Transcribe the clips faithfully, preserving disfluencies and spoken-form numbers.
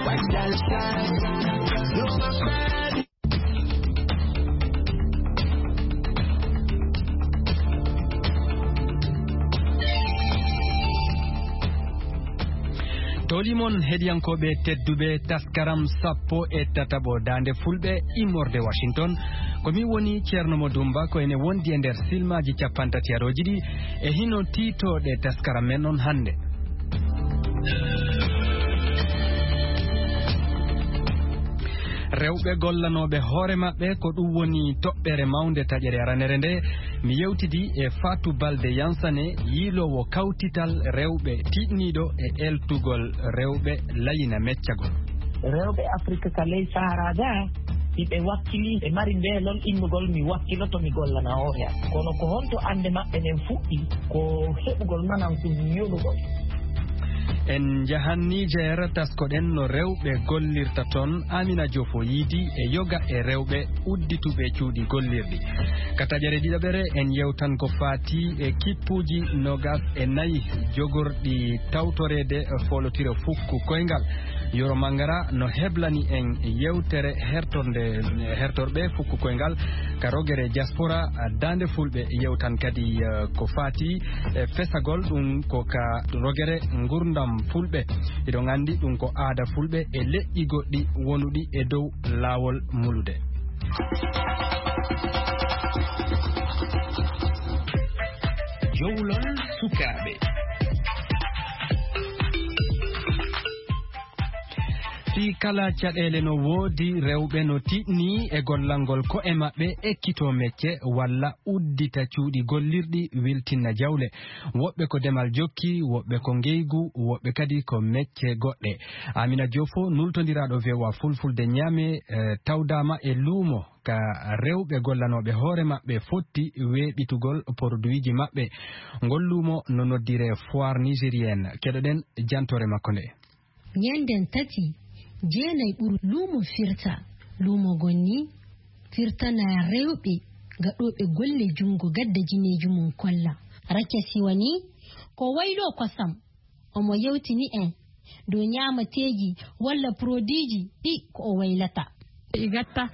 Toli mon heɗiyankooɓe tedduɓe, taskaram sappo e tataɓo Daande Fulɓe immorde Washington. Ko min woni Ceerno Mo Dumba, ko ene wondi e nder silmaaji cappantatiyarooji ɗi e hino tiitooɗe taskaram men on hannde. Rewɓe gollanooɓe hoore maɓɓe, ko ɗum woni toɓɓere mawnde taƴere aranere nde. Mi yewtidi e Fatou Balde Yansane, yiiloowo kawtital rewɓe tiiɗniiɗo e eltugol rewɓe layina meccagol. Rewɓe Afrika ka ley Sahara ga, hiɓe wakkili, ɓe mari mbeelol innugol, "Mi wakkiloto, mi gollana hoore am." Kono ko honto annde maɓɓe nden fuɗɗi? Ko heɓugol manan ko yolugol. En njahan Niger, taskoɗen no rewɓe gollirta ton. Amina Jofo yiidi e yoga e rewɓe uddituɓe cuuɗi gollirɗi. Ka taƴere ɗiɗaɓere, en yewtan ko faati e kippuuji nogas e nayi jogorɗi tawtoreede foolotiro fukku koyngal. Yoro Mangara no heblani en yewtere hertorde, hertorɓe fukku koyngal ka rogere diaspora, Daande Fulɓe. Yewtan kadi, eh, ko faati e fesagol ɗum ko ka rogere ngurdam Fulɓe. Hiɗon anndi ɗum ko aada Fulɓe e leƴƴi goɗɗi wonuɗi e dow laawol mulude. Jowlol sukaaɓe. Fii kala caɗeele no woodi, rewɓe no tiɗni e gollangol ko'e maɓɓe, ekkitoo mecce walla uddita cuuɗi gollirɗi, wiltinna jawle. Woɓɓe ko demal jokki, woɓɓe ko ngeygu, woɓɓe kadi ko mecce goɗɗe. Amina Jofo, nultondiraaɗo V O A Fulfulde Ñaame, eh, tawdaama e luumo ka rewɓe gollanooɓe hoore maɓɓe fotti weeɓitugol poroduwiiji maɓɓe. Ngol luumo no noddiree foire nigérienne. Keɗoɗen jantoore makko nde. Ñannden tati, jeenay ɓuru luumo firta. Luumo gonni firtana rewɓe gaɗooɓe golle junngo gadda jineeji mum kolla. Rakia Siwani ko wayloo kosam. Omo yewtini en dow ñaamateeji walla produitji ɗi ko o waylata. I gatta,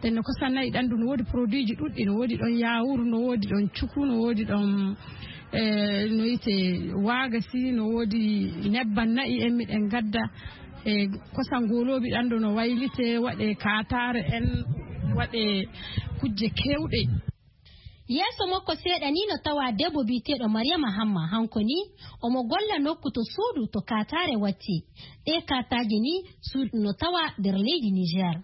ɗen no kosam na'i ɗan, ɗum no woodi produitji ɗuɗɗi, no woodi ɗon yaawuru, no woodi ɗon cuku, no woodi ɗon, eh, no wiyetee waagasi, no woodi nebban na'i en miɗen gadda. E kosam gooloobi ɗan ɗo no waylitee, waɗee kaataare en, waɗee kujje keewɗe. Yeeso makko seeɗa ni no tawa debbo biyeteeɗo Mariama Hamma, hanko ni omo golla nokku to suudu to kaataare watti. Ɗee kaataaje ni suudu no tawa nder leydi Niger.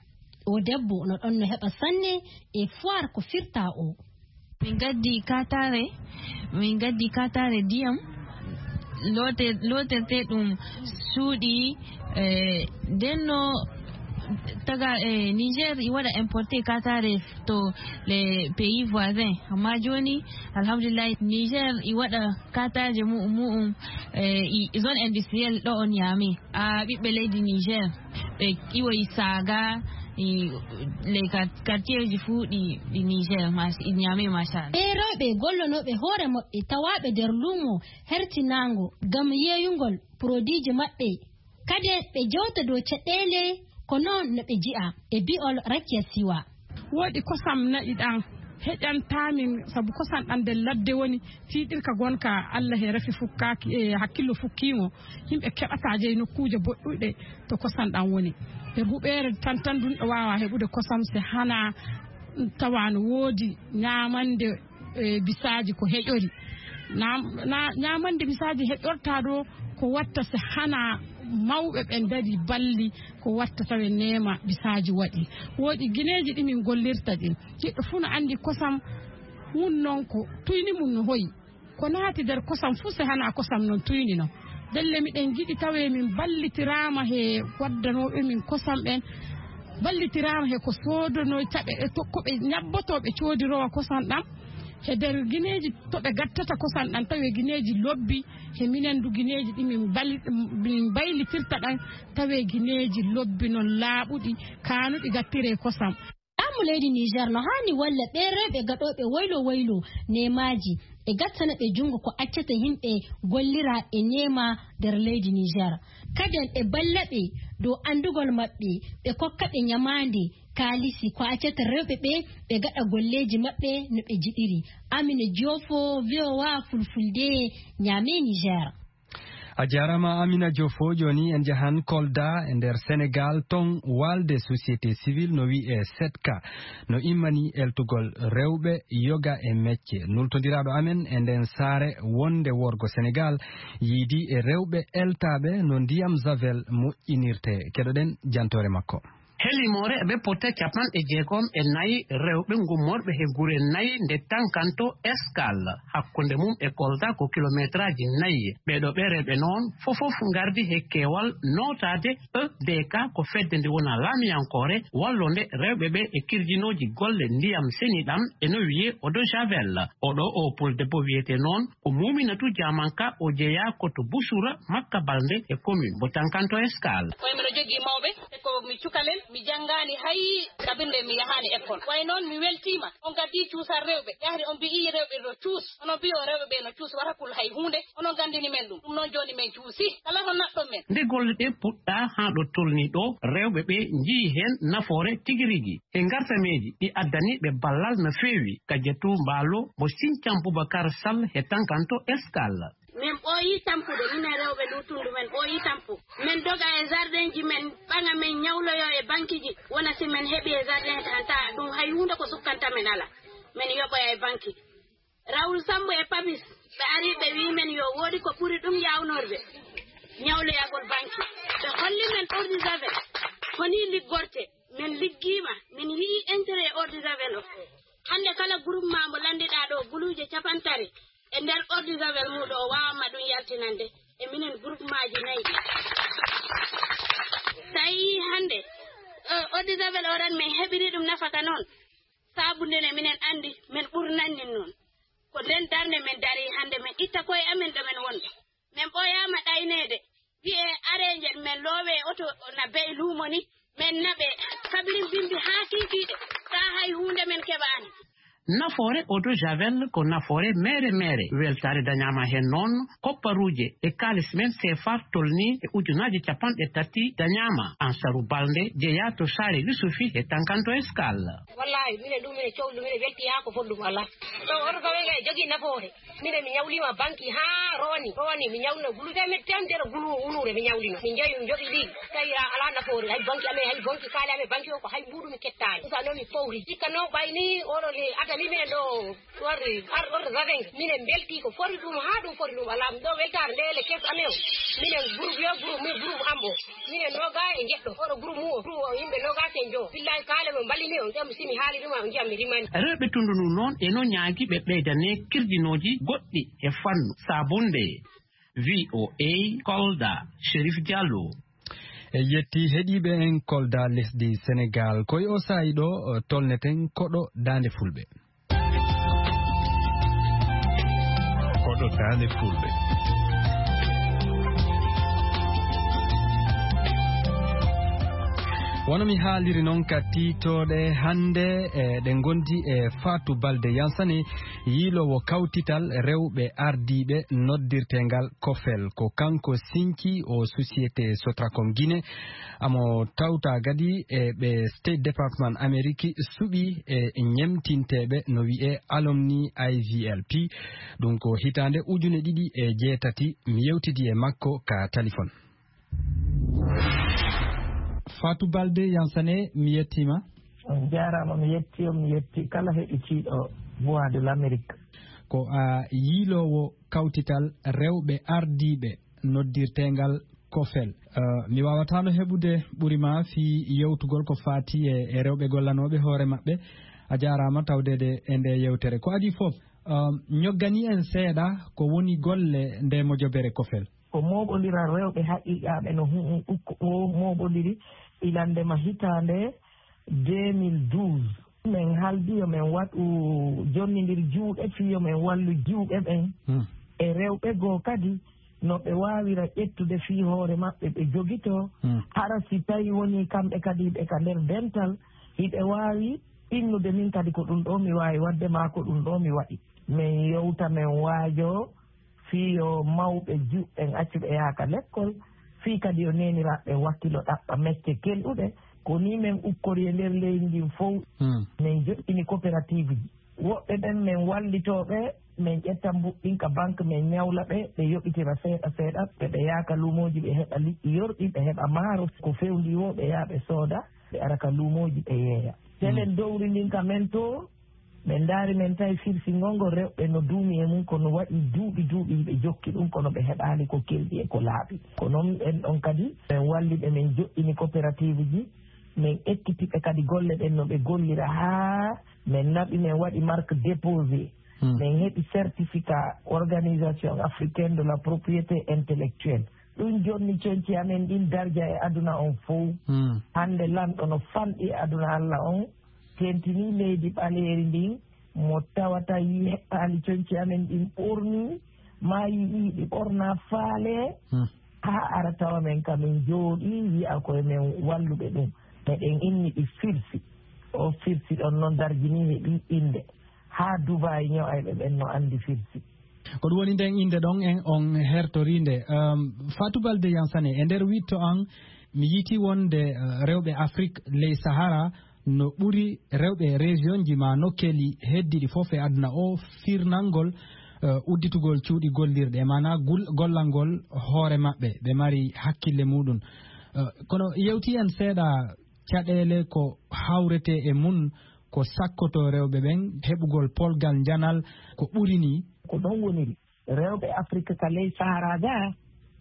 O debbo no ɗon no heɓa sanne e foire ko firta o. Min gaddi kaataare, min gaddi kaataare ndiyam, loote-, lootertee ɗum suuɗi, eh, nden no taga, eh, Niger i waɗa importe kaataare to les pays voisins. Amma jooni, alhamdulillahi, Niger i waɗa kaataaje mu'um, mu'um, eh, i zone industrielle ɗo on Niamey. A ɓiɓɓe leydi Niger, ɓe iwoyi Saga, i, les quar-, quartierji fuu ɗi, ɗi Niger, mas-, i Niamey, machallah. Ɓee rewɓe gollonooɓe hoore maɓɓe tawaaɓe nder luumo hertinaango ngam yeeyungol produitji maɓɓe. Kadi ɓe jewta dow caɗeele ko noon no ɓe nji'a e bi'ol Rakia Siwa. Woodi kosam na'i ɗan heƴantaa min, sabu kosam ɗan nder ladde woni, tiiɗirka gonka Allah he rafi fukkaaki, e hakkillo fukkiimo. Yimɓe keɓataa jeyi nokkuuje boɗɗuɗe to kosam ɗan woni. Nder huɓeere tan tan ɗum ɗo waawa heɓude kosam se hana tawa no woodi ñaamande, e, bisaaji ko heƴori. Naam-, na-, ñaamande bisaaji heƴortaa ɗo ko watta se hana mawɓe ɓen dari balli ko watta tawe neema bisaaji waɗi. Woodi gineeji ɗi min gollirta ɗin. Neɗɗo fuu no anndi kosam mum non ko tuyni mum no hoyi. Ko naati nder kosam fuu se hana kosam non tuyni non. Ndelle miɗen njiɗi tawe min ballitiraama he waddanooɓe min kosam ɓen, ballitiraama he ko soodonoyta ɓe, e to-, ko ɓe ñabbotoo ɓe coodirowa kosam ɗam. He nder gineeji to ɓe gattata kosam ɗam, tawi gineeji lobbi, he minen du gineeji ɗi min bal-, min mbaylitirta ɗam, tawi gineeji lobbi non laaɓuɗi, kaanuɗi gattiree kosam. Laamu leydi Niger no haani walla ɓee rewɓe gaɗooɓe waylo waylo neemaaji, e gattana ɓe junngo ko accata yimɓe gollira e neema nder leydi Niger. Kaden ɓe balla ɓe dow anndugol maɓɓe, ɓe kokka ɓe ñamaande, kaalisi, ko accata rewɓe ɓe ɓe gaɗa golleeji maɓɓe no ɓe njiɗiri. Amina Joofo, V O A Fulfulde, Ñaame, Niger. A jaaraama, Amina Joofo. Jooni en njahan Kolda e nder Senegaal, ton waalde société civile no wi'ee setka no immanii eltugol rewɓe yoga e mecce. Nultondiraaɗo amen e nden saare wonde worgo Senegaal yiidi e rewɓe eltaaɓe no ndiyam Javel moƴƴinirtee. Keɗoɗen jantoore makko. Helimoore ɓe pota capanɗe jeegom e nayi rewɓe ngummorɓe he gure nayi nde Tankanto Eskal, hakkunde mum e Kolda ko kilometraaji nayi. Ɓeeɗo ɓe rewɓe noon fofof ngardi he keewal nootaade E D K, ko fedde nde wona laamiyankoore wallonde rewɓe ɓe e kirjinooji golle ndiyam seniɗam e no wiyee eau de javel. Oɗo o pul debbo wiyetee noon ko Muminatu Jamanka, o jeyaa ko to Busura Makka Balde e commune mo Tankanto Eskal. Koye miɗo jogii mawɓe, e ko mi cukalel, mi janngaani hay kabinde mi yahaani école. Way noon mi weltiima, on ngaddi cuusal rewɓe, yahri on mbiyi rewɓe no cuus, onon mbiyo rewɓe ɓe no cuus, wata kul hay huunde, onon nganndini men ɗum, ɗum noon jooni men cuusi, kala ko naɗɗon men. Nde golle ɗe puɗɗaa haa ɗo tolnii ɗo, rewɓe ɓe njiyi heen nafoore tigi rigi. E ngartameeji ɗi addani ɓe ballal no feewi, Kajatu Mbaalo mo Siñcam Bubakar Sal he Tankanto Eskal. Min ɓooyi tampude, minen rewɓe Luutundu, min ɓooyi tampu. Min doga e jardinji, min ɓaŋa, min ñawloyo e bankiji. Wona si min heɓi e jardin tan, ta ɗum hay huunde ko sukkanta min ala. Min yoɓoya e banki. Raoul Sambo e Papis, ɓe ari, ɓe wi min yo woodi ko ɓuri ɗum yawnorde ñawloyagol banki. Ɓe holli min eau de javel, ko ni liggorte. Min liggiima, min yi'i intérêt eau de javel o. Hannde kala groupement mo lanndiɗaa ɗo, guluuje capantati e nder eau de javel muuɗum o waawanma ɗum yaltinande e minen groupemaaji nayi ɗi. So a yi'i hannde, eh, eau de javel o tan min heɓiri ɗum nafaka noon, saabu ndene minen anndi min ɓurnannin noon. Ko nden darnde min darii hannde, min itta koye amen ɗo min wonɓe. Min ɓooyaama ɗayneede, wi'ee aree njeɗ, min loowee oto na be'i luumo ni, min naɓee kabirin bimbi haa kiikiiɗe, taa hay huunde min keɓaani. Nafoore eau de javel ko nafoore meere meere. Weltaare dañaama heen noon, kopparuuje e kaalis men seefa tolnii e ujunaaji capanɗe tati dañaama. Ansaru Balde jeyaa to Saare Yusufi e Tankanto Eskal. Wallaahi, minen ɗum minen cowli ɗum, minen weltii haa ko foti ɗum alaa. Ɗo oto fawe kay jogii nafoore. Minen mi ñawliima banki haa rooni, rooni mi ñawlino gulu teemeɗɗe teemedere gulu wuluure mi ñawlino. Mi njeyi, mi jogi ɗi, tawi a-, alaa nafoore. Hay banki amen, hay banki kaali amen, banki o ko hay mbuuɗu mi kettaani. Usa noon mi powri. Sikka noon ɓay ni oɗo le adani minen ɗo warde ar-, ordo zavengue. Minen mbeltii ko foti ɗum haa ɗum foti ɗum alaa. Ɗo weltaare nde le kees amen o. Minen groupe yo groupe, min groupe am o. Minen noga e jeɗɗo. Oɗo groupe mum o. Groupe o yimɓe nogas e njo. Billahi kaale mo mballini on. Ƴam simi haali ɗum on ƴam mi rimani. Rewɓe tundu ndu noon e no ñaagi ɓe ɓeydane kirjinooji goɗɗi e fannu saabunde. V O A Kolda, Chérif Diallo. E yetti heɗiiɓe en Kolda lesdi Senegaal. Ko e o saa'i ɗo, o, tolneten koɗo Daande Fulɓe. Koɗo Daande Fulɓe. Wano mi haaliri noon ka tiitooɗe hannde, e, ɗe ngondi e Fatou Balde Yansane, yiiloowo kawtital rewɓe ardiiɓe noddirteengal COFEL. Ko kanko sinci o société Sotracom Guinée, amo tawta gadi e ɓe State Department Ameriki suɓi e ñemtinteeɓe no wi'e alumni I V L P. Ɗum ko hitaande ujune ɗiɗi e jeetati, mi yewtidi e makko ka talifon. Fatou Balde Yansane, mi yettiima. On jaaraama, mi yetti on, mi yetti kala heɗitiiɗo Voix de l'Amérique. Ko a yiiloowo kawtital rewɓe ardiiɓe noddirteengal COFEL. Eh, mi waawataano heɓude ɓuri ma fii yewtugol ko faati e, e rewɓe gollanooɓe hoore maɓɓe. A jaaraama tawdeede e nde yewtere. Ko adii fof, eh, ñoggani en seeɗa ko woni golle nde mojobere COFEL. Ko mooɓondiral rewɓe haqiiqaaɓe no hu-, hu-, ukko-, o mooɓondiri ilandema hitaande deux mille douze. Min haldi yo min waɗu jonnindir juuɗe fii yo min wallu jiwɓe ɓen Hmm. e rewɓe goo kadi no ɓe waawira ƴettude fii hoore maɓɓe ɓe jogitoo. Hmm. Hara si tawi wonii kamɓe kadi ɓe ka nder dental, hiɓe waawi innude min kadi ko ɗum ɗoo mi waawi waɗde maa ko ɗum ɗoo mi waɗi. Min yewta, min waajoo fii yo mawɓe juɓɓen accuɓe yaaka lekkol, Fii kadi yo neeniraaɓe ɓen wakkilo ɗaɓɓa mecce kelɗuɗe. Ko nii men ukkori e nder leydi ndin fow. Hmm. Men joɗɗini coopérative ji. Woɓɓe ɓen men wallitoo ɓe, men ƴetta mbuɓɓin ka banque, men ñawla ɓe, ɓe yoɓitira seeɗa seeɗa, ɓe, ɓe yaha ka luumooji, ɓe heɓa liƴƴi yorɗi, ɓe heɓa maaro, ko fewndii woo, ɓe yaha ɓe sooda, ɓe ara ka luumooji, ɓe yeeya. Telen dowri ndin ka men to, men ndaari men tawi firsingol ngol rewɓe no duumi e mum, kono waɗi duuɓi duuɓi hiɓe jokki ɗum, kono ɓe heɓaali ko kelɗi e ko laaɓi. Ko noon en ɗon kadi, men walli ɓe, men joɗɗini coopérative ji, men ekkiti ɓe kadi golle ɗen no ɓe gollira haa men naɓi, men waɗi marque déposé. Hmm. Men heɓi certificat Organisation Africaine de la Propriété Intellectuelle. Ɗum jonni conci amen ɗin darja e aduna on fow. Hmm. Hannde lanɗo no fanɗi e aduna Allah on, tentinii leydi ɓaleeri ndin, mo tawata yii heɓɓaali conci amen ɗin ɓornii, maa yi'ii ɗi ɓornaa faale, Hmm. haa ara tawa men ka min jooɗii, yi'a ko e men walluɓe ɗum. Meɗen inni ɗi firsi. O firsi ɗon non darjinii heɓii innde. Haa Dubaay ño'ayɓe ɓen no anndi firsi. Ko ɗum woni nden innde ɗon en on hertorii nde. Ehm, Fatou Balde Yansane, e nder wiɗto an, mi yiitii wonde, eh, rewɓe Afrik ley Sahara no ɓuri rewɓe région ji maa nokkeeli heddiiɗi fof e aduna o firnangol, eh, udditugol cuuɗi gollirɗe, maanaa gul-, gollangol hoore maɓɓe, ɓe mari hakkille muɗum. Eh, kono yewti en seeɗa caɗeele ko hawretee e mum, ko sakkotoo rewɓe ɓen, heɓugol polgal njanal, ko ɓuri nii. Ko ɗon woniri. Rewɓe Afrik ka ley Sahara ga,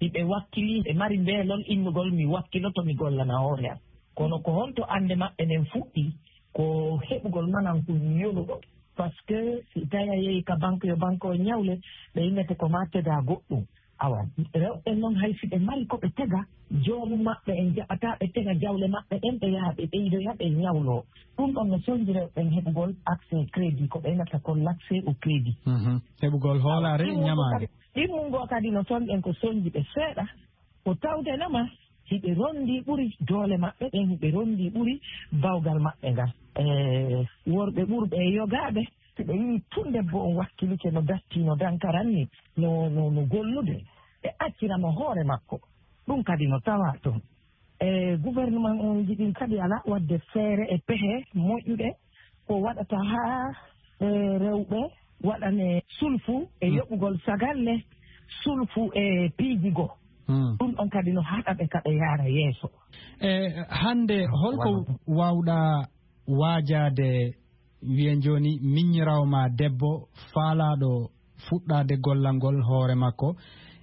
hiɓe wakkili, ɓe mari mbeelol innugol, "Mi wakkiloto, mi gollana hoore am." Kono ko honto annde maɓɓe nden fuɗɗi? Ko heɓugol manan ko yonuɗo. Parce que si tawi a yehi ka banque, yo banque o ñawle, ɓe innete ko ma tega goɗɗum. Awa, rewɓe non hay si ɓe mari ko ɓe tega, joomum maɓɓe en jaɓata ɓe tega jawle maɓɓe ɗen, ɓe yaha ɓe ɓeydoya, ɓe ñawloo. Ɗum ɗon no sonji rewɓe ɓen heɓugol accès crédit, ko ɓe innata ko l'accès au crédit. Mhm. Heɓugol hoolaare e ñamaande. Ɗimmungo kadi, ɗimmungo kadi no sonji en ko sonji ɓe seeɗa, ko tawde nama hiɓe ronndii ɓuri doole maɓɓe ɗen, hiɓe ronndii ɓuri bawgal maɓɓe ngal. E worɓe ɓurɓe e yogaaɓe, si ɓe yii tun debbo on wakkilike no datti, no dankaran ni, no, no, no gollude, ɓe accira mo hoore makko. Ɗum kadi no tawaa toon. E gouvernement on jiɗin kadi alaa waɗde feere e pehe moƴƴuɗe ko waɗata haa, e, rewɓe waɗane sulfu e Hmm. yoɓugol sagalle, sulfu e piiji goo. Hmm. Ɗum ɗon kadi no haɗa ɓe ka ɓe yaara yeeso. E hannde, holko Wano. waawɗaa waajaade, wiyen jooni, miññiraawo ma debbo faalaaɗo fuɗɗaade gollangol hoore makko,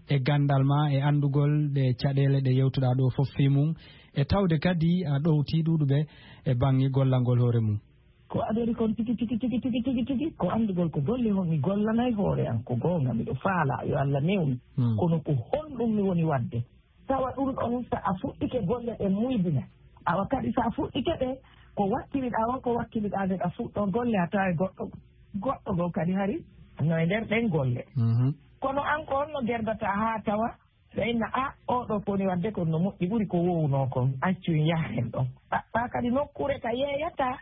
e ganndal ma, e anndugol ɗe caɗeele ɗe yewtuɗaa ɗo fof fii mum, e tawde kadi a ɗowtii ɗuuɗuɓe e baŋŋe gollangol hoore mum? Ko adori kon tigi, tigi, tigi, tigi, tigi, tigi, ko anndugol ko golle hon mi gollanay hoore an, ko goonga, miɗo faalaa, yo Allah newnu. Hmm. Kono ko honɗum mi woni waɗde? Tawa ɗum ɗon, so a fuɗɗike golle ɗen muydina. Awa kadi, so a fuɗɗike ɗe, ko wakkiliɗaa won, ko wakkiliɗaa nde ɗa fuɗɗoo golle, a tawa e goɗɗo, goɗɗo goo kadi hari no e nder ɗen golle. Mhm. Kono an ko honno gerdataa haa tawa ɓe inna, "A, oo ɗoo ko woni waɗde kon no moƴƴi, ɓuri ko woowunoo kon, accu en yaha heen ɗon." Ɗaɓɓaa kadi nokkuure ka yeeyataa,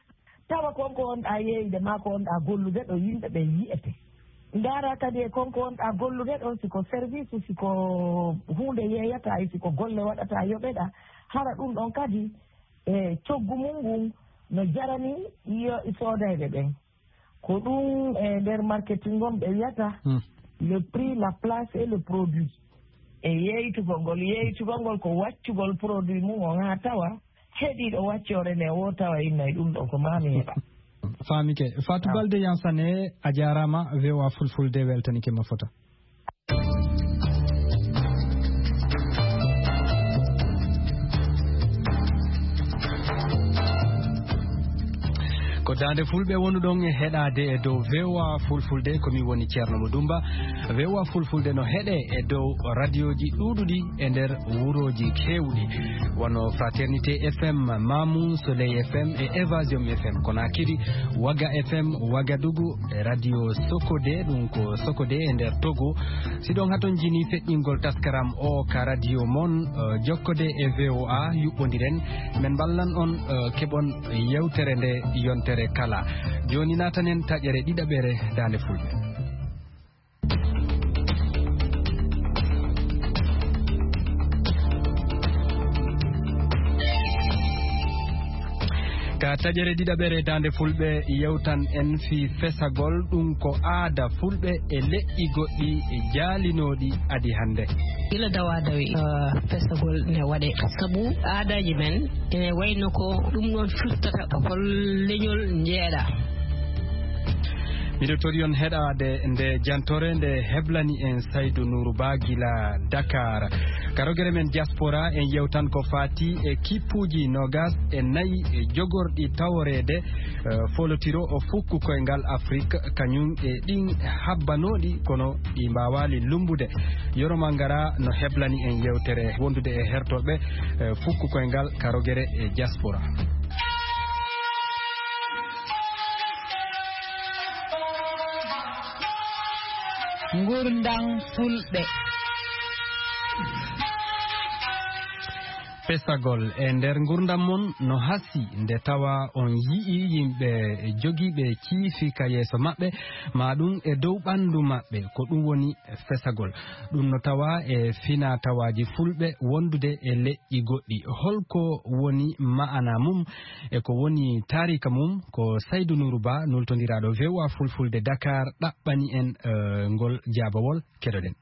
tawa kon ko wonɗaa yeeyde maa ko wonɗaa gollude ɗo yimɓe ɓe yi'ete. Ndaara kadi e kon ko wonɗaa gollude ɗon, si ko service, si ko huunde yeeyataa, e si ko golle waɗataa yoɓeɗaa, hara ɗum ɗon kadi e coggu mum ngun no jarani yo soodayɓe ɓen. Ko ɗum e nder marketing on ɓe wiyata Hmm. le prix, la place et le produit. E yeeytugol ngol, yeeytugol ngol ko waccugol produit mum on haa tawa heɗiiɗo waccoore nde o tawa inna e ɗum ɗo ko maa mi heɓa. Faamike. Fatou Balde Yansane, a jaaraama, V O A Fulfulde weltanike ma fota. Ko Daande Fulɓe wonuɗon e heɗaade e dow V O A Fulfulde, ko min woni Ceerno Mo Dumba. V O A Fulfulde no heɗe e dow radioji ɗuuɗuɗi e nder wurooji keewɗi, wano Fraternité F M Mamou, Soleil F M e Évasion F M Konakiri, Waga F M Wagadugu, e Radio Sokode, ɗum ko Sokode e nder Togo. Siɗon haton jini feƴƴingol taskaram o ka radio mon, eh, jokkode e V O A, yuɓɓondiren. Men mballan on, eh, keɓon yewtere nde yontere kala. Jooni naatanen taƴere ɗiɗaɓere Daande Fulɓe. Ka taƴere ɗiɗaɓere Daande Fulɓe, yewtan en fii fesagol, ɗum ko aada Fulɓe e leƴƴi goɗɗi jaalinooɗi adi hannde. Gila dawa dawi, eh, fesagol ne waɗe. Sabu aadaaji men ene wayno ko ɗum ɗon firtata hol leñol njeeɗa. Miɗo tori on heɗaade nde jantore nde heblani en Saydu Nuuru Ba gila Dakar. Karogere men diaspora en yewtan ko faati e kippuuji noogas e nayi e jogorɗi taworeede, eh, folotiro o fukku koyngal Afrik, kañum e ɗin habbanooɗi kono ɗi mbaawaali lummbude. Yoro Mangara no heblani en yewtere wondude e hertorɓe, eh, fukku koyngal karogere e diaspora. Ngurndam Fulɓe. Pesagol e nder ngurndam mon no hasi nde tawa on yi'i yimɓe jogiiɓe ciifi ka yeeso maɓɓe, ma ɗum e dow ɓanndu maɓɓe, ko ɗum woni fesagol. Ɗum no tawa e fina tawaaji Fulɓe wondude e leƴƴi goɗɗi. Holko woni ma'ana mum e ko woni taarika mum? Ko Saydu Nuuru Ba, nultondiraaɗo V O A Fulfulde Dakar, ɗaɓɓani en, eh, ngol jaabawol. Keɗoɗen.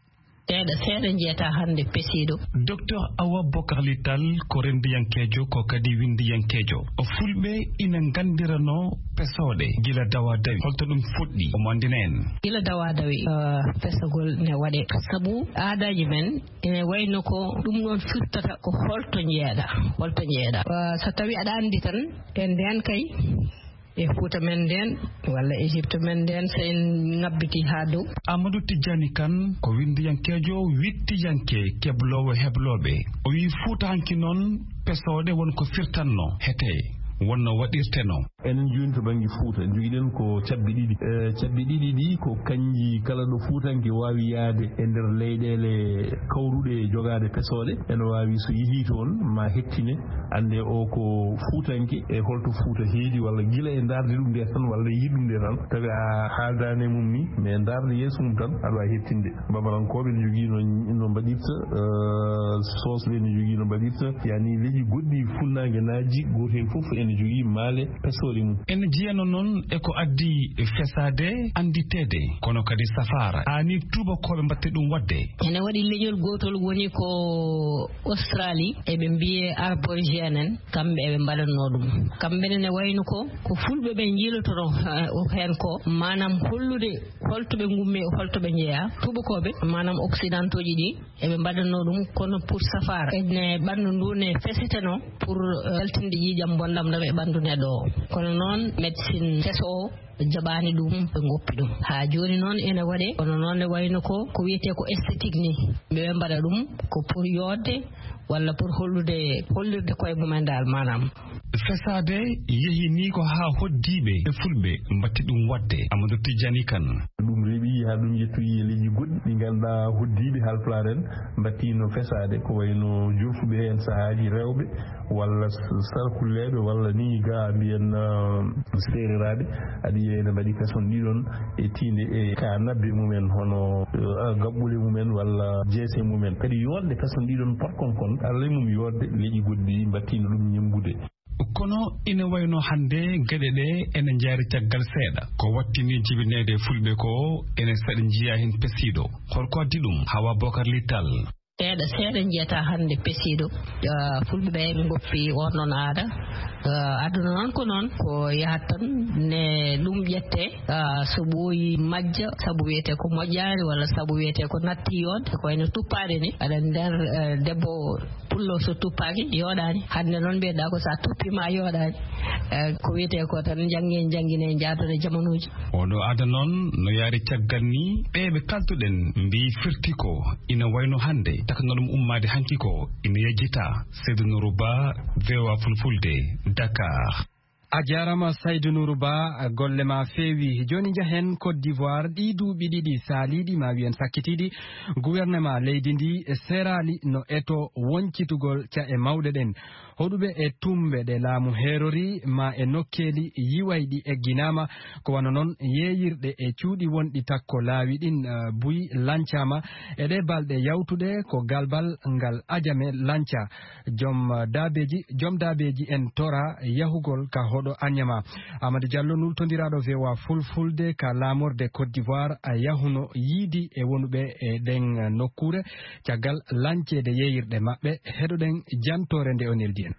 Seeɗa, seeɗa njiyata hannde pesiiɗo. Docteur Awa Bokar Lital ko renndiyankeejo, ko kadi winndiyankeejo. Fulɓe ina nganndiranoo pesooɗe gila dawa dawi. Holto ɗum fuɗɗi? Omo anndina en. Gila dawa dawi, eh, pesagol ne waɗe. Sabu aadaaji men ene wayno ko ɗum ɗon firtata ko holto njeeɗa, holto njeeɗa. Eh, so tawi aɗa anndi tan, e ndeen kay, e Fuuta men ndeen, walla Égypte men ndeen, so en ŋabbiti haa dow. Amadou Tidiani Kane ko winndiyankeejo, wiɗtiyanke, kebloowo heblooɓe. O wiyi Fuuta hanki noon, pesooɗe won ko firtanno, hete wonno waɗirteno. Enen jooni to bannge Fuuta, njogiɗen ko cabbi ɗiɗi. Eh, cabbi ɗiɗi ɗi ko kanji kala ɗo Fuutanke waawi yaade e nder leyɗeele kawruɗe e jogaade pesooɗe. Ene waawi so yehii toon, ma hettine, annde o ko Fuutanke, e holto Fuuta heedi, walla gila e ndaarde ɗum nde tan, walla yiɗi ɗum nde tan. Tawi a haaldaani e mum ni, mais ndaarde yeeso mum tan, aɗa waawi hettinde. Babalankooɓe ne njogii no, no mbaɗirta, eh, Soosɓe ne njogii no mbaɗirta, yani leƴƴi goɗɗi funnaange naaji, gooto heen fof ene jogii maale pesooɗe mum. Ene jeyano noon e ko addi fesaade, annditeede, kono kadi safaara. Haani tuubakooɓe mbaɗta ɗum waɗde. Ene waɗi leñol gootol woni ko Australie, eɓe mbiyee Aborigine en, kamɓe eɓe mbaɗatnoo ɗum. Kamɓe ne ne wayno ko, ko Fulɓe ɓe njiilotonoo, eh, heen ko, maanaam hollude holto ɓe ngummi, holto ɓe njeyaa. Tuubakooɓe, maanaam occidentaux ji ɗi, eɓe mbaɗatnoo ɗum, kono pour safaara. Ene ɓanndu ndu ne feseteno pour, eh, yaltinde ƴiiƴam bonɗam ɗam e ɓanndu neɗɗo o. Kono noon, médecine keso o jaɓaani ɗum, ɓe ngoppi ɗum. Haa jooni noon ene waɗe, kono noon ne wayno ko, ko wiyetee ko esthétique ni. Ɓe mbaɗa ɗum ko pour yooɗde walla pour hollude, hollirde koye mumen daal, maanaam. Fesaade yehi ni ko haa hoddiiɓe e Fulɓe mbatti ɗum waɗde. Amadou Tidiani Kane. Ɗum rewi haa ɗum yettoyi e leƴƴi goɗɗi ɗi ngannduɗaa hoddiiɓe Haalpulaar en mbattiino fesaade, ko wayno jolfuɓe heen sahaaji rewɓe walla s-, sarkulleeɓe walla ni ga mbiyen, ah, seereraaɓe. Aɗa yiya ene mbaɗi kason ɗiɗon e tiinde e ka nabbe mumen, hono, eh, gaɓɓule mumen walla jeese mumen. Kadi yooɗde kason ɗiɗon parkon kon, alay mum yooɗde leƴƴi goɗɗi mbattiino ɗum ñemmbude. Kono ina wayno hannde geɗe ɗe ene njaari caggal seeɗa. Ko wattini jibineede Fulɓe ko ene saɗi njiya heen pesiiɗo. Holko addi ɗum? Hawa Bokar Littal. Seeɗa, seeɗa njiyata hannde pesiiɗo. Ah, Fulɓe ɓe ɓe ngoppi on ɗon aada. Ah, aduna noon ko noon, ko yahat tan ne ɗum ƴette, ah, so ɓooyi majja, sabu wiyetee ko moƴƴaani walla sabu wiyetee ko natti yoon, ko wayno tuppaade ni. Aɗa nder, eh, debbo pullo so tuppaaki, yooɗaani. Hannde noon mbiyeɗaa ko so a tuppiima a yooɗaani. Eh, ko wiyetee ko tan njannge, njanngine, njaadone jamanuuji. Oɗo aada noon no yaari caggal ni, ɓe ɓe kaltuɗen mbiyi firti ko ina wayno hannde takno ɗum ummaade hanki ko ina yejjita. Seydou Nourou Ba, V O A Fulfulde, Dakar. A jaaraama Saydou Nourou Ba, golle ma feewi. Jooni njahen Côte d'Ivoire, ɗii duuɓi ɗiɗi saaliiɗi, ma wiyen sakkitiiɗi, gouvernement leydi ndi seeraali no eto woncitugol ca'e mawɗe ɗen. Hoɗuɓe e tumbe ɗe laamu heerori ma e nokkeeli yiwayɗi egginaama, ko wano non yeeyirɗe e cuuɗi wonɗi takko laawi ɗin, eh, buy lancaama. E ɗee balɗe yawtuɗe ko galbal ngal ajame lanca. Joom, eh, daabeeji, joom daabeeji en tora yahugol ka hoɗo Anyama. Amadou Diallo, nultondiraaɗo V O A Fulfulde ka laamorde Côte d'Ivoire, a yahuno yiidi e wonuɓe e ɗen nokkuure. Caggal lanceede yeeyirɗe maɓɓe, heɗoɗen jantoore nde o neldi en.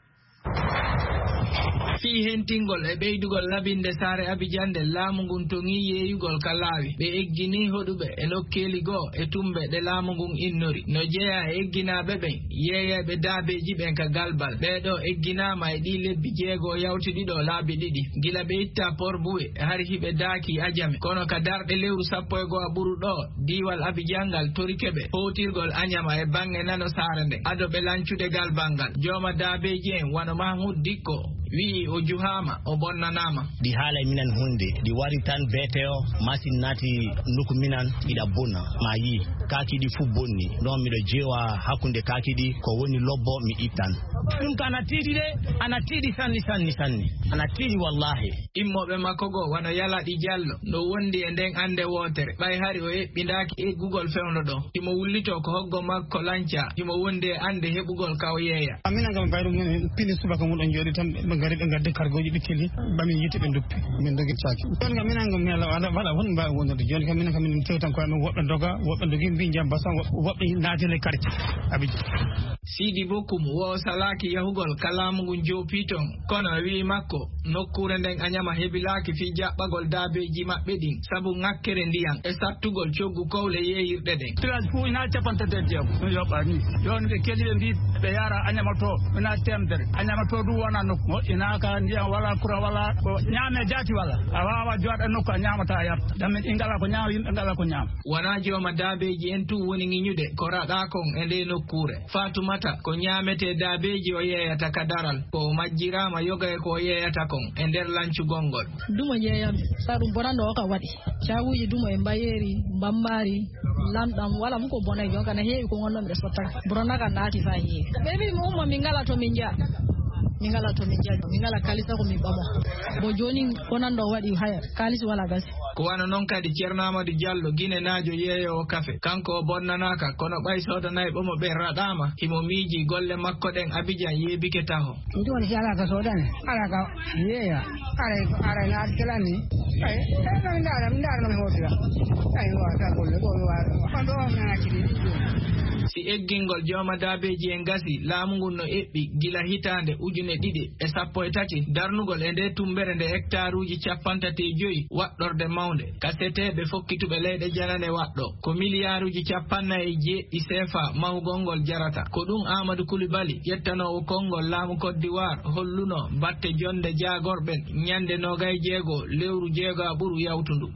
Fii hentingol e ɓeydugol labinde saare Abidjan nde, laamu ngun toŋii yeeyugol ka laawi. Ɓe egginii hoɗuɓe e nokkeeli goo e tumbe ɗe laamu ngun innori. No jeyaa e egginaaɓe ɓen, yeeyayɓe daabeeji ɓen ka galbal. Ɓee ɗoo egginaama e ɗii lebbi jeego yawtuɗi ɗoo laabi ɗiɗi. Gila ɓe ittaa Port Boué, hari hiɓe daakii Ajame. Kono ka darɗe lewru sappo e go'o ɓuru ɗoo, diiwal Abidjan ngal torike ɓe hootirgol Anyama e baŋŋe nano saare nden, ado ɓe lancude galbal ngal. Jooma daabeeji en, wano Mahmoud Dikko, wi'i o juhaama, o bonnanaama. Ɗi haalay minan hunde, ɗi wari tan B T O, masin naati nokku minan, iɗa bona, ma yi, kaaki ɗi fu bonni. Non miɗo jeewa hakkunde kaaki ɗi, ko woni lobbo mi ittan. Ɗum ka ana tiiɗi de, ana tiiɗi sanni, sanni, sanni. Ana tiiɗi wallahi. Immooɓe makko goo wano Yalaɗi Jallo, no wondi e nden annde wootere, ɓay hari o eɓɓindaaki eggugol fewndo ɗon. Himo wullitoo ko hoggo makko lanca, himo wondi e annde heɓugol ka o yeeya. Amin an kam bayru men pini subaka mun ɗon jooɗi tan, ɓe ngari ɓe ngaddi kargooji ɓe kili, ɓamin yiite ɓe nduppi, min dogi caaki. Jooni kam min an kam mi ala wala, wala hon mbaawi wondude. Jooni kam min an kam min tew tan ko amin woɓɓe doga, woɓɓe dogi mbi jam basan, woɓɓe naati le quartier. Abidjan. Sidi Bokum wo salaaki yahugol ka laamu ngun joopi ton, kono o wi'i makko, nokkuure nden Anyama hebilaaki fii jaɓɓagol daabeeji maɓɓe ɗin, sabu ŋakkere ndiyan e sattugol coggu kowle yeeyirɗe ɗen. Village fuu ina cappanɗe tati e jeego, no yoɓaa nii. Jooni ɓe keli ɓe mbii ɓe yaara Anyama to, ina teemedere. Anyama to ɗum wona nokku mo ina ka ndiyan wala, kura wala, ko ñaame jaati wala. A waawa jooɗa nokku a ñaamata a yarta. Damin ɗi ngala ko ñaama, yimɓe ngala ko ñaama. Wonaa jooma daabeeji en tun woni ŋiñude ko raɗaa kon e ndee nokkuure. Faatumata, ko ñaametee daabeeji o yeeyata ka daral, ko o majjiraama yoga e ko o yeeyata kon e nder lancugol ngol. Dumo yeeyam, sa ɗum bonanɗo o ka waɗi. Caaguuji dumo e mbayeeri, mbambaari, lamɗam, wala mu ko bonay, jon kana heewi ko ngonno miɗo sottaka. Bonana kan naati fa heewi. Ɓe mbii mi umma min ngala to min njaha. Min ngala to min njaha. Min ngala kalisa ko min ɓamo. Bo jooni bonanɗo o waɗi haya, kaalisi wala gasi. Ko wano non kadi Ceerno Amadou Diallo, Ginenaajo yeeyoowo kafe. Kanko o bonnanaaka, kono ɓay soodanayɓe mo ɓen raɗaama, himo miijii golle makko ɗen Abidjan yeebike taho. Ɗum woni si alaa ka soodane, alaa ka yeeya, aray, aray na addalan ni. Ay, ay, no mi ndaara, mi ndaara no mi hootira. Ay, mi waawata golle, ɗo mi waawata. On ɗo on mi acci ɗi. Si eggingol jooma daabeeji en gasi, laamu ngun no eɓɓi gila hitaande ujune ɗiɗi e sappo e tati, darnugol e nde tumbere nde hektaaruuji cappanɗe tati e joyi waɗɗorde mawnde. Ka seteeɓe fokkituɓe leyɗe janane waɗɗo, ko miliyaaruuji cappannayi e jeeɗiɗi seefa mahugol ngol jarata. Ko ɗum Amadou Coulibaly, ƴettanoowo konngol laamu Côte d'Ivoire, holluno batte jonde jaagorɓe ñande noogay jeego lewru jeego a ɓuru yawtundu.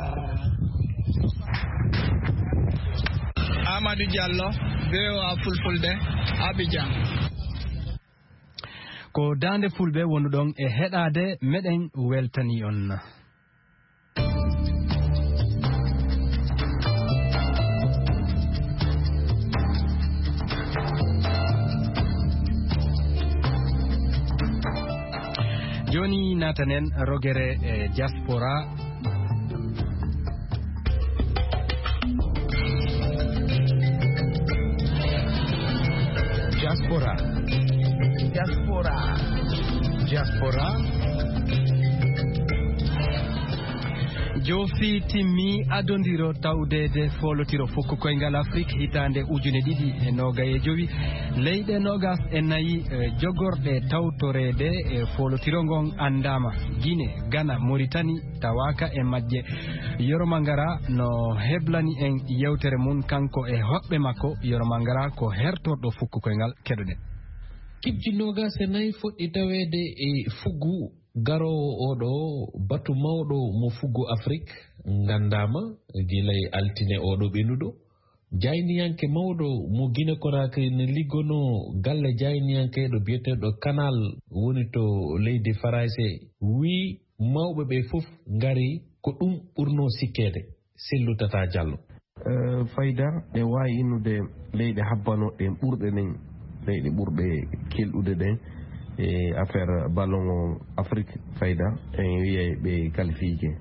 Amadou Diallo, V O A Fulfulde, Abidjan. Ko Daande Fulɓe wonuɗon e heɗaade, meɗen weltani on. Jooni naatanen rogere e diaspora. Diaspora. Diaspora. Diaspora. Joofi timmi adondiro tawdeede foolotiro fukko koyngal Afrik hitaande ujune ɗiɗi e noogay e jowi. Leyɗe noogas e nayi, eh, jogorɗe tawtoreede e foolotiro ngon anndaama. Gine, Gana, Moritani, tawaaka e majje. Yoro Mangara no heblani en yewtere mum kanko e hoɓɓe makko. Yoro Mangara ko hertorɗo fukko koyngal, keɗoɗen. Kipji noogas e nayi fuɗɗi taweede e fuggu garoowo oɗo batu mawɗo mo fuggu Afrik nganndaama gila e altine oɗo ɓenuɗo. Jayniyanke mawɗo mo Gine Konakiri ne liggonoo galle jayniyanke ɗo biyeteeɗo Kanal woni to leydi Farayse wii mawɓe ɓe fof ngari ko ɗum ɓurnoo sikkeede. Sellu Tata Jallo. Eh, fayda ɗe waawi innude leyɗe habbano ɗen ɓurɗe ɗen, leyɗe ɓurɗe kelɗude ɗen. E affaire ballon o Afrique fayda, en wiyay ɓe qualifié.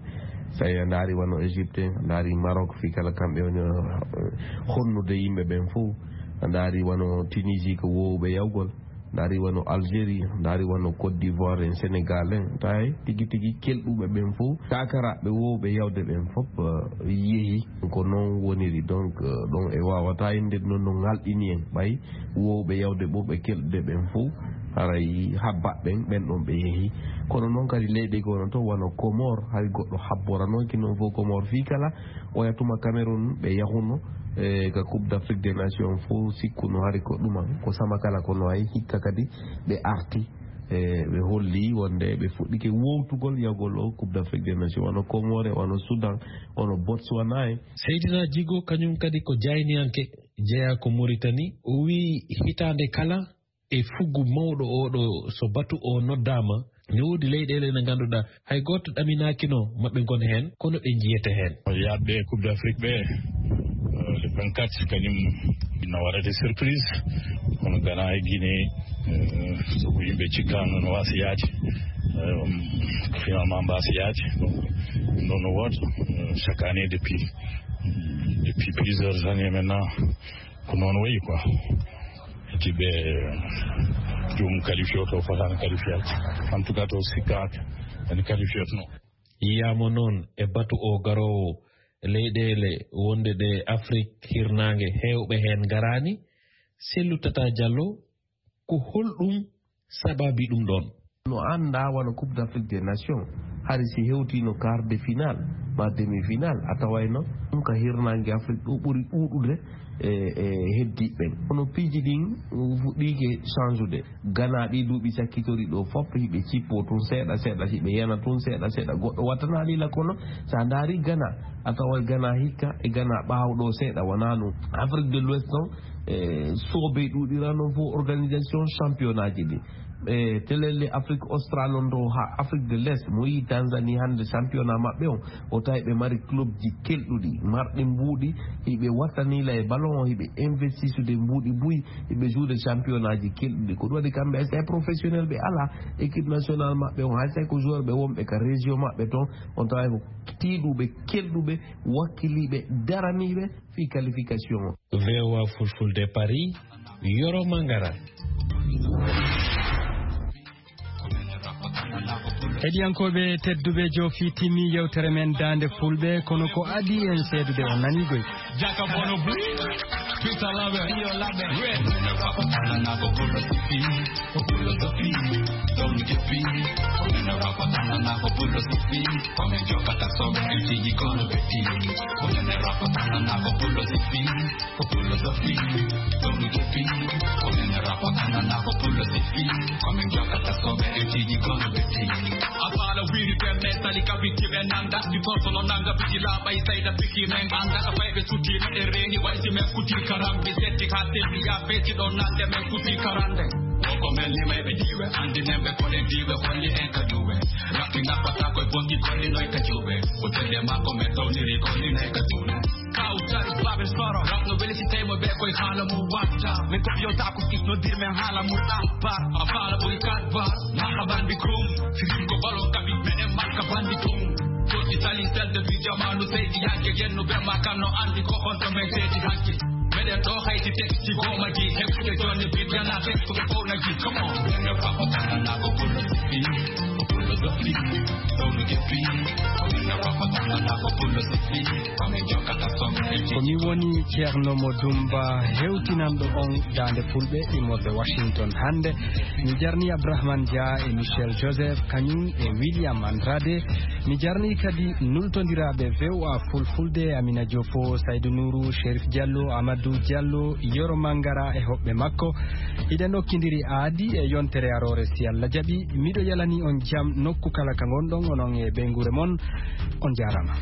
So a ndaari wano Égypte, a ndaari Maroc, fii kala kamɓe woni, eh, honnude yimɓe ɓen fof. A ndaari wano Tunisie ko woowɓe yawgol. Ndaari wano Algérie, ndaari wano Côte d'Ivoire en, Sénégal en. Tawi tigi tigi kelɗuɓe ɓen fof, kakaraaɓe woowɓe yawde ɓen fof, eh, yehi. Ko noon woniri. Donc, eh, ɗon e waawata innde noon no ngalɗini en. Ɓay woowɓe yawde ɓurɓe kelɗude ɓen fof, haray habbaɓe ɓen, ɓen ɗon ɓe yehi. Kono noon kadi leyɗe gono to wano Comore, hari goɗɗo habboranoki noon fof Comore fii kala oya tuma Cameroun ɓe yahuno, e, ka Coupe d'Afrique des Nations fof sikkuno hari ko ɗuma, ko sama kala kono ay hikka kadi ɓe arti, e, ɓe holli wonde ɓe fuɗɗike wowtugol yahgol o Coupe d'Afrique des Nations, wano Comore, wano Soudan, wano Botswana en. Seydina Djigo, kañum kadi ko jayniyanke, jeyaa ko Mauritanie. O wiyi hitaande kala e fuggu mawɗo oo ɗo, so batu o noddaama, ne woodi leyɗeele ɗe ngannduɗaa hay gooto ɗaminaakino maɓɓe ngon heen, kono ɗe njiyete heen. Yaadɓe Coupe d'Afrique ɓe, eh, le vingt-quatre, kañum na waɗa des surprises. Kono Ghana e Guinée, eh, so ko yimɓe cikkaano no waasi yaade, eh, finalement mbaasi yaade. Donc, ɗum ɗo no woota, eh, chaque année depuis, depuis plusieurs années maintenant. Ko noon wayi quoi. Eti ɓe joomum qualifié o to fotaani qualifié. En tout cas, to sikkaaka ene qualifié no. Yiyaama noon e batu o garoowo, leyɗeele wonde ɗe Afrik hirnaange heewɓe heen ngaraani. Sellu Tata Diallo, ko holɗum sababi ɗum ɗoon? No anndaa wano Coupe d'Afrique des Nations, hari si hewtiino quart de finale, ma demi-finale, a tawayno ɗum ka hirnaange Afrik ɗo ɓuri ɗuuɗude e, e heddiiɓe ɓen. Kono piiji ɗin fuɗɗiike change-ude. Ghana ɗi duuɓi sakkitori ɗo fof, hiɓe cippoo tun seeɗa seeɗa, hiɓe yana tun seeɗa seeɗa. Goɗɗo wattanaali la kono, so a ndaari Ghana, a taway Ghana hikka e Ghana ɓaawo ɗo seeɗa, wonaa ɗum. Afrique de l'Ouest noon, e, soobee ɗuuɗira noon fof organisation championnat ji ɗi. E, telele Afrique Austral on ɗo haa Afrique de l'Est, mo yii Tanzanie hannde championnat maɓɓe on, o tawi ɓe mari club ji kelɗuɗi, marɗi mbuuɗi, hiɓe wattani la e ballon o, hiɓe investisude mbuuɗi buy, hiɓe jouer championnat ji kelɗuɗi. Ko ɗum waɗi kamɓe, c'est professionnel ɓe alaa, équipe nationale maɓɓe on, hay so ko joueur ɓe wonɓe ka région maɓɓe toon, on tawa ko tiiɗuɓe, kelɗuɓe, wakkiliiɓe, daraniiɓe fii qualification o. V O A Fulfulde Paris, Yoro Mangara. Heɗiyankooɓe tedduɓe, joofi timmi yewtere men Daande Fulɓe, kono ko adii en seedude on nanii goy. Jaka bono bri, pita labe, iyo labe, red. Apala wiri ɓe mentali kabiti ɓe nanda, si tosono nanga bigi laaɓa e sayda bigi men anda, ka fayɓe sutino e reeni, way si men kuti karambi, setti ha tembi ya beti ɗo nande men kuti karande. Woko men limayɓe diwe, andinen ɓe koɗen diwe, holli en ka duwe. Rakki nappata koye bonki, kollinoy ka juwe. Ko telle makko men towniri, kollinoy ka juwe. Kawtal Babel Soro, rap no weli si tawi mo ɓe koye haala mum watta. Min ko yo taako kisno dir men haala mum ampar. A faala ɓuri kat bar, marhaban bikum. Sirim ko balon kaɓi, meɗen marka bandi tum. Joddi tali selde bi jamanu seydi yanke yennu ɓe ma kan no andi ko on to men seydi hanke. Meɗen ɗo hayti tek si goma gi, heftude jonni bi jana tek ko ɓe fowna gi. Come on. Meɗen faɓo tanana ko pullo sippi. Ko mi woni Ceerno Mo Dumba, hewtinanɗo on Daande Fulɓe immorde Washington hannde. Mi jarni Abdourahmane Dia e Michel Joseph, kañum e William Andrade. Mi jarni kadi nultondiraaɓe V O A Fulfulde, Amina Jofo, Saydou Nourou, Chérif Diallo, Amadou Diallo, Yoro Mangara e hoɓɓe makko. Hiɗen okkindiri aadi e yontere aroore, si Allah jaɓi. Miɗo yalani on jam nokku kala ka ngonɗon, onon e ɓeynguure mon. On jaaraama.